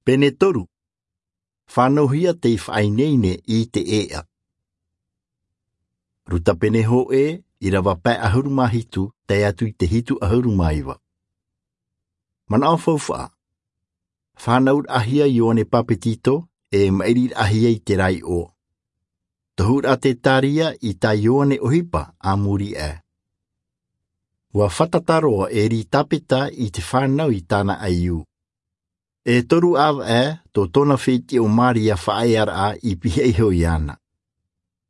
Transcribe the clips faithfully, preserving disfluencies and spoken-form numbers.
Pene toru. Fānauhia tei faʻaineine i te ʻēʻa. Ruta pene hōʻē, ʻīrava pae ʻahuru mā hitu tae atu i te hitu ʻahuru mā iva. Manaʻo faufaʻa. Fānauraʻahia Ioane Papetito e maʻiriraʻahia i te raiʻo. Tohuraʻa Tetaria i tā Ioane ʻohipa a muri aʻe. Ua fātata roa Eritapeta i te fānau i tāna ʻaiū. E toru ʻāvaʻe tō tōna fētiʻi ʻo Maria faʻaearaʻa i pihaʻi iho iāna.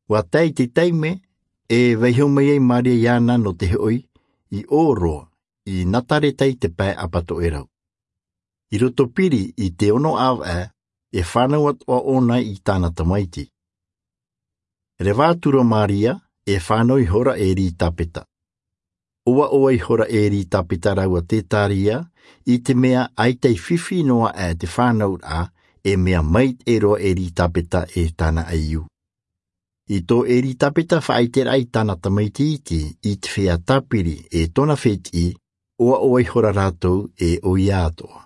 Ua tae i te taime e vaiiho mai ai Maria iāna nō te hoʻi i ʻō roa i Nazareta i te pae ʻapatoʻerau. I roto piri i te ono ʻāvaʻe e fānau atoʻa ʻōna i tāna tamaiti. Reva atu ra Maria e fānau ihora Eritapeta. ʻOaʻoa ihora Eritapeta rāua Tetaria, i te mea ʻaita i fifi noa aʻe te fānauraʻa, e mea maitaʻi roa Eritapeta e tāna ʻaiū. I tō Eritapeta faʻaiteraʻa i tāna tamaiti iti i te feiā tāpiri e tōna fētiʻi, ʻoaʻoa ihora rātou e ʻoia atoʻa.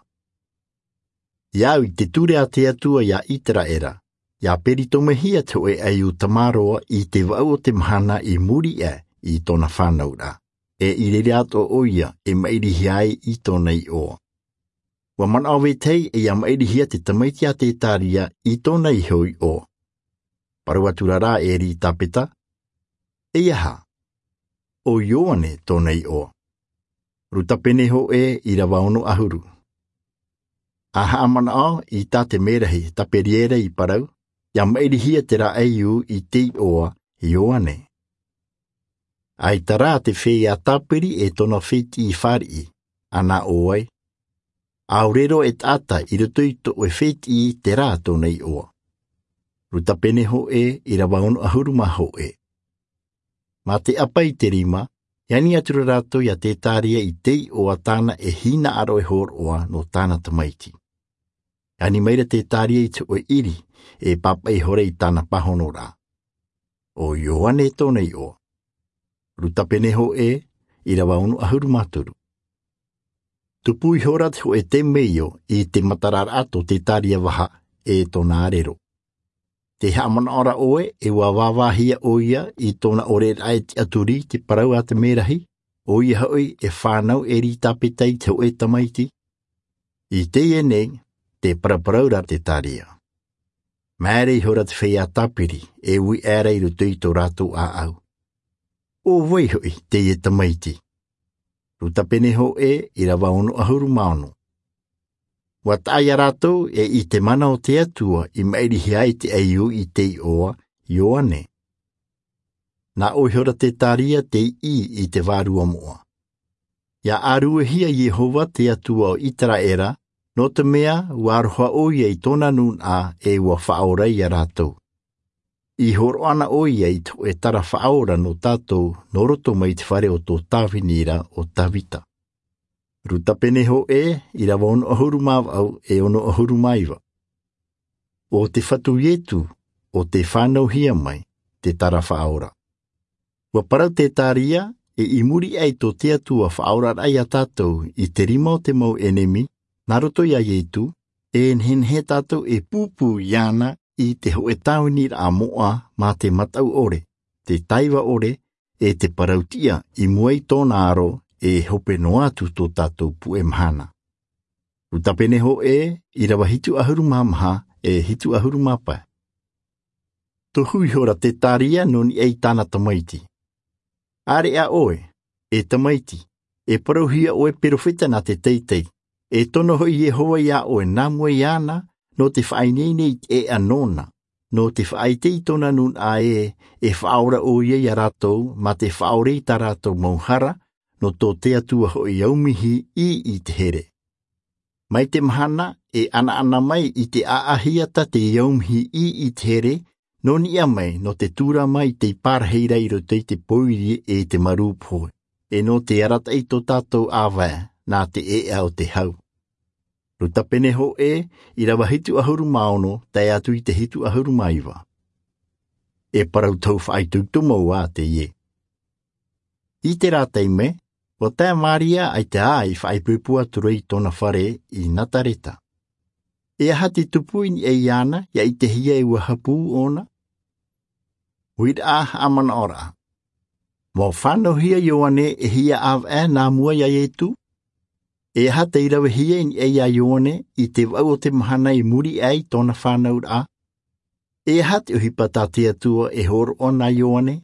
ʻIa au i te ture a te Atua iā Iteraera, ʻia peritomehia te hōʻē ʻaiū tamāroa i te vaʻu o te mahana i muri aʻe i tōna fānauraʻa, e i reira atoʻa ʻoia e maʻirihia ai i tōna iʻoa. Ua manaʻo vetahi e ʻia maʻirihia te tamaiti a Tetaria i tōna iho iʻoa. Parau atu ra rā Eritapeta, e aha? ʻO Ioane tōna iʻoa. Ruta pene hōʻē, ʻīrava ono ʻahuru. A haʻamanaʻo i tā te merahi Taperiera i parau, ʻia maʻirihia terā ʻaiū i te iʻoa Ioane. ʻAita rā te feiā tāpiri e tōna fētiʻi i fāriʻi, ʻa nā ʻō ai, ʻaore roa e taʻata i roto i tō ʻoe fētiʻi terā tōna iʻoa. Ruta pene hōʻē, ʻīrava ono ʻahuru mā hōʻē. Mā te ʻapa i te rima, e ani atu ra rātou iā Tetaria i te iʻoa tāna e hinaʻaro e hōroʻa nō tāna tamaiti. E ani mai ra Tetaria i te hōʻē ʻiri e pāpaʻi ihora i tāna pāhonoraʻa. ʻO Ioane tōna iʻoa. Ruta pene hōʻē, ʻīrava ono ʻahuru mā toru. Tupu ihora te hōʻē temeio i te matararaʻa tō Tetaria vaha e tōna ʻārero. Tē haʻamanaʻo ra ʻoe e ua vāvāhia ʻoia i tōna ʻoreraʻa e tiʻaturi i te parau a te merahi, ʻoia hoʻi e fānau Eritapeta i te hōʻē tamaiti? I teie nei, tē paraparau ra Tetaria. Māere ihora te feiā tāpiri e ui aʻera i roto i tō rātou ʻāʻau. ʻO vai hoʻi teie tamaiti? Ruta pene hōʻē, ʻīrava ono ʻahuru mā ono. Ua taʻa iā rātou e i te mana o te Atua i maʻirihia ai te ʻaiū i te iʻoa Ioane. Nā ʻō ihora Tetaria tei ʻī i te vārua moʻa. ʻIa ʻāruehia Iehova te Atua o Iteraera, nō te mea ua aroha ʻoia i tōna nūnaʻa e ua faʻaora iā rātou. I hōroʻa na ʻoia i te hōʻē tara faʻaora nō tātou nō roto mai te fare o tō Tāvini ra ʻo Tavita. Ruta pene hōʻē, ʻīrava ono ʻahuru mā vaʻu e ono ʻahuru mā iva. ʻO te Fatu Ietu, ʻo tē fānauhia mai, te tara faʻaora. Ua parau Tetaria, e i muri aʻe i tō te Atua faʻaoraraʻa iā tātou i te rima o te mau ʻenemi, nā roto iā Ietu, e nehenehe tātou e pūpū iāna i te hōʻē tāviniraʻa moʻa mā te mataʻu ʻore, te taiva ʻore, e te parau tiʻa i mua i tōna aro e hope noa atu tō tātou puʻe mahana. Ruta pene hōʻē, ʻīrava hitu ʻahuru mā maha e hitu ʻahuru mā pae. Tohu ihora Tetaria nō niʻa i tāna tamaiti. ʻĀreʻa ʻoe, e tamaiti, e parauhia ʻoe perofeta nā te teitei, e tono hoʻi Iehova iā ʻoe nā mua iāna, nō te faʻaineine i te ʻēʻa nōna, nō te faʻaʻite i tōna nūnaʻa ē, e faʻaora ʻoia iā rātou, mā te faʻaora i tā rātou mau hara, nō tō te Atua hoʻi aumihi ʻī i te here. Mai te mahana e ʻanaʻana mai i te ʻāʻahiata te aumihi ʻī i te here, nō niʻa mai nō te tūrama i te pārahi ra i roto i te pōiri e te marū pohe, e nō te arataʻi tō tātou ʻāvae nā te ʻēʻa o te hau. Ruta pene hōʻē, ʻīrava hitu ʻahuru mā ono, tae atu i te hitu ʻahuru mā iva. E parau tau faʻaitoito mau ā teie. I terā taime, ua tae Maria ʻaita ā i faʻaipoipo atu ra i tōna fare i Nazareta. E aha te tupu i niʻa iāna, ia ʻitehia e ua hapū ʻōna? Uiraʻa haʻamanaʻoraʻa. Mau fānauhia ioane e hia ʻāvaʻe nā mua iā iesu? E aha tei ravehia i niʻa iā ioane i te vaʻu o te mahana i muri aʻe i tōna fānauraʻa? E aha te ʻohipa tā te atua e hōroʻa nā ioane?